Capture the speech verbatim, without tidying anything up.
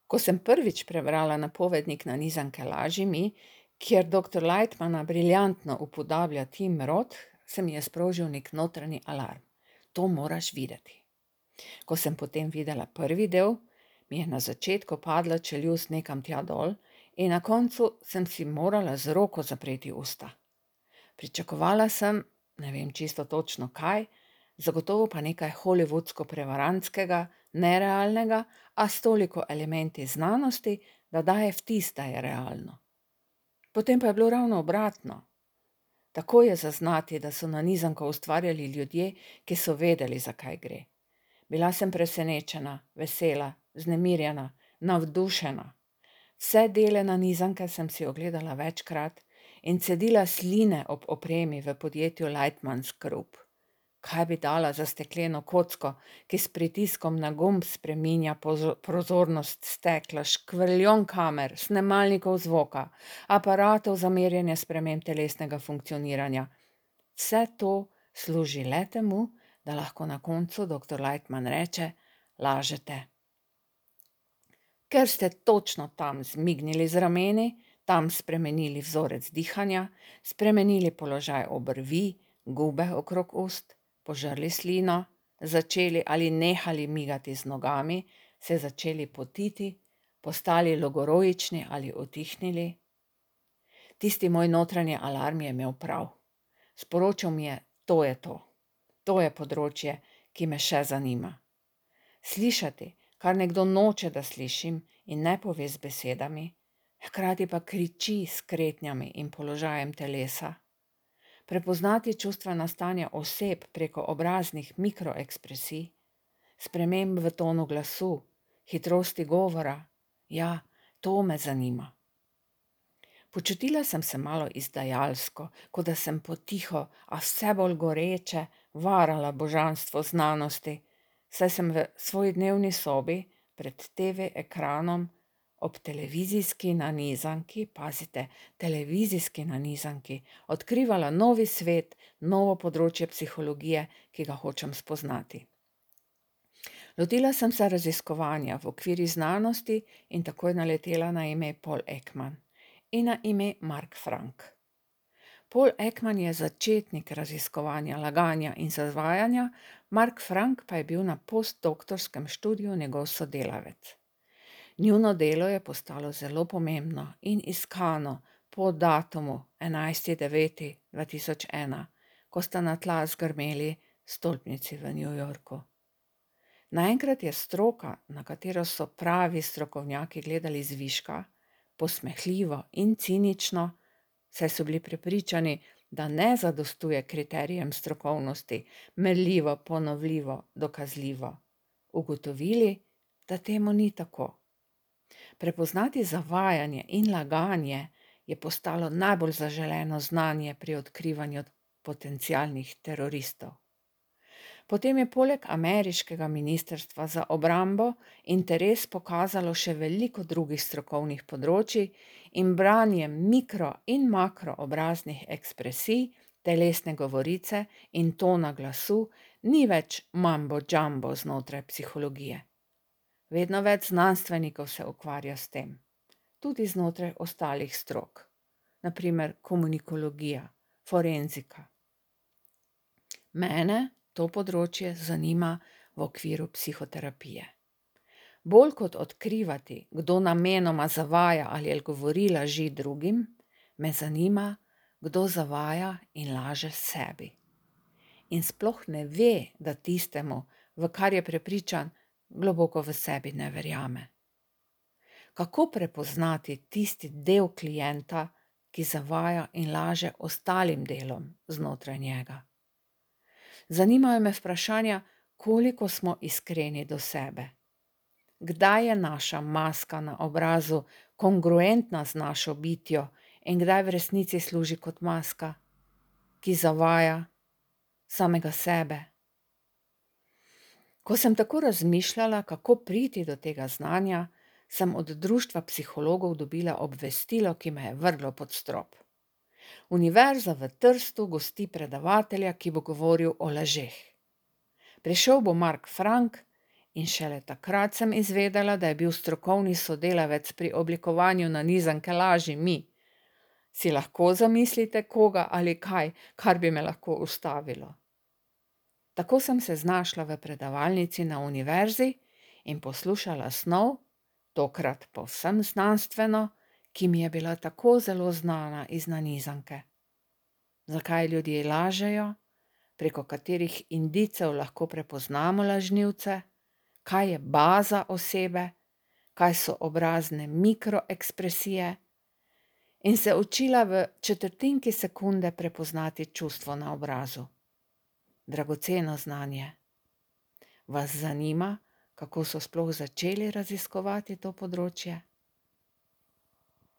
Ko sem prvič prebrala napovednik nanizanke Laži mi, kjer doktor Lightmana briljantno upodablja Tim Roth, se mi je sprožil nek notranji alarm. To moraš videti. Ko sem potem videla prvi del, mi je na začetku padla čeljust nekam tja dol in na koncu sem si morala z roko zapreti usta. Pričakovala sem, ne vem čisto točno kaj, zagotovo pa nekaj hollywoodsko-prevarantskega, nerealnega, a s toliko elementi znanosti, da daje vtis, da je realno. Potem pa je bilo ravno obratno. Tako je zaznati, da so nanizanko ustvarjali ljudje, ki so vedeli, za kaj gre. Bila sem presenečena, vesela, vznemirjena, navdušena. Vse dele nanizanke sem si ogledala večkrat in cedila sline ob opremi v podjetju Lightmans Group. Kaj bi dala za stekleno kocko, ki s pritiskom na gumb spreminja prozornost stekla, škvrljon kamer, snemalnikov zvoka, aparatov za merjenje sprememb telesnega funkcioniranja. Vse to služi le temu, da lahko na koncu doktor Lightman reče: lažete. Ker ste točno tam zmignili z rameni, tam spremenili vzorec dihanja, spremenili položaj obrvi, gube okrog ust, požrli slino, začeli ali nehali migati z nogami, se začeli potiti, postali logoroični ali utihnili. Tisti moj notranji alarm je imel prav. Sporočil mi je, to je to. To je področje, ki me še zanima. Slišati, kar nekdo noče, da slišim in ne pove z besedami, hkrati pa kriči s kretnjami in položajem telesa. Prepoznati čustvena stanja oseb preko obraznih mikroekspresij, sprememb v tonu glasu, hitrosti govora, ja, to me zanima. Počutila sem se malo izdajalsko, kot da sem potiho, a vse bolj goreče, varala božanstvo znanosti, saj sem v svoji dnevni sobi pred te ve ekranom ob televizijski nanizanki, pazite, televizijski nanizanki, odkrivala novi svet, novo področje psihologije, ki ga hočem spoznati. Lotila sem se raziskovanja v okviru znanosti in takoj naletela na ime Paul Ekman in na ime Mark Frank. Paul Ekman je začetnik raziskovanja laganja in zavajanja, Mark Frank pa je bil na postdoktorskem študiju njegov sodelavec. Njuno delo je postalo zelo pomembno in iskano po datumu enajsti deveti dva tisoč ena, ko sta na tla zgrmeli stolpnici v New Yorku. Naenkrat je stroka, na katero so pravi strokovnjaki gledali zviška, posmehljivo in cinično, saj so bili prepričani, da ne zadostuje kriterijem strokovnosti, merljivo, ponovljivo, dokazljivo, ugotovili, da temu ni tako. Prepoznati zavajanje in laganje je postalo najbolj zaželeno znanje pri odkrivanju potencialnih teroristov. Potem je poleg ameriškega ministrstva za obrambo interes pokazalo še veliko drugih strokovnih področij in branje mikro in makro obraznih ekspresij, telesne govorice in tona glasu ni več mambo jumbo znotraj psihologije. Vedno več znanstvenikov se ukvarja s tem, tudi znotraj ostalih strok, na primer komunikologija, forenzika. Mene to področje zanima v okviru psihoterapije. Bolj kot odkrivati, kdo namenoma zavaja ali govori laži drugim, me zanima, kdo zavaja in laže sebi. In sploh ne ve, da tistemu, v kar je prepričan, globoko v sebi ne verjame. Kako prepoznati tisti del klienta, ki zavaja in laže ostalim delom znotraj njega? Zanimajo me vprašanja, koliko smo iskreni do sebe. Kdaj je naša maska na obrazu kongruentna z našo bitjo in kdaj v resnici služi kot maska, ki zavaja samega sebe? Ko sem tako razmišljala, kako priti do tega znanja, sem od društva psihologov dobila obvestilo, ki me je vrglo pod strop. Univerza v Trstu gosti predavatelja, ki bo govoril o lažeh. Prišel bo Mark Frank In šele takrat sem izvedela, da je bil strokovni sodelavec pri oblikovanju nanizanke lažji mi. Si lahko zamislite koga ali kaj, kar bi me lahko ustavilo? Tako sem se znašla v predavalnici na univerzi in poslušala snov, tokrat povsem znanstveno, ki mi je bila tako zelo znana iz nanizanke. Zakaj ljudje lažejo, preko katerih indicev lahko prepoznamo lažnivce, kaj je baza osebe, kaj so obrazne mikroekspresije, in se učila v četrtinki sekunde prepoznati čustvo na obrazu. Dragoceno znanje. Vas zanima, kako so sploh začeli raziskovati to področje?